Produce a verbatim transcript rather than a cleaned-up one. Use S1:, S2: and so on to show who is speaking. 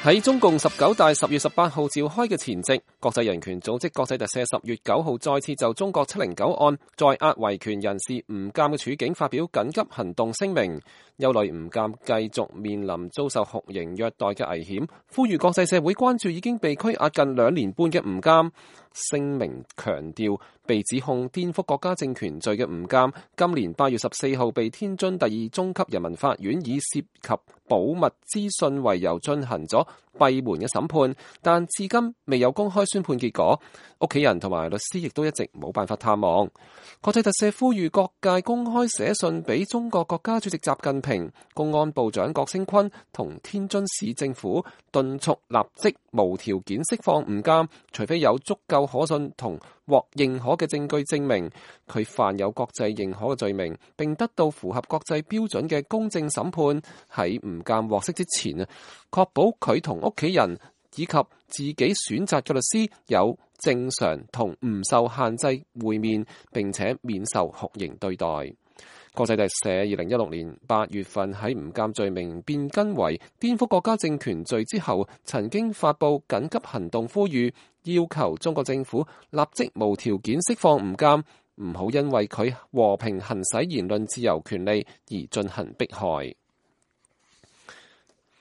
S1: 喺中共十九大十月十八號召開嘅前夕，國際人權組織國際特赦十月九號再次就中國七零九案在押維權人士吳鑑嘅處境發表緊急行動聲明，憂慮吳鑑繼續面臨遭受酷刑虐待嘅危險，呼籲國際社會關注已經被拘押近兩年半嘅吳鑑。聲明強調，被指控顛覆國家政權罪嘅吳鑑，今年八月十四號被天津第二中級人民法院以涉及保密資訊為由進行咗閉門嘅審判，但至今未有公開宣判結果，屋企人同埋律師亦都一直冇辦法探望。國際特赦呼籲各界公開寫信俾中國國家主席習近平、公安部長郭聲琨同天津市政府，敦促立即無條件釋放吳鑑，除非有足夠可信同獲認可嘅證據證明佢犯有國際認可嘅罪名，並得到符合國際標準嘅公正審判。喺吳鑑獲釋之前啊，確保佢同屋企人以及自己選擇嘅律師有正常同唔受限制會面，並且免受酷刑對待。國際特赦二零一六年八月份喺吳鑑罪名變更為顛覆國家政權罪之後，曾經發布緊急行動呼籲，要求中國政府立即無條件釋放吳鑑，唔好因為佢和平行使言論自由權利而進行迫害。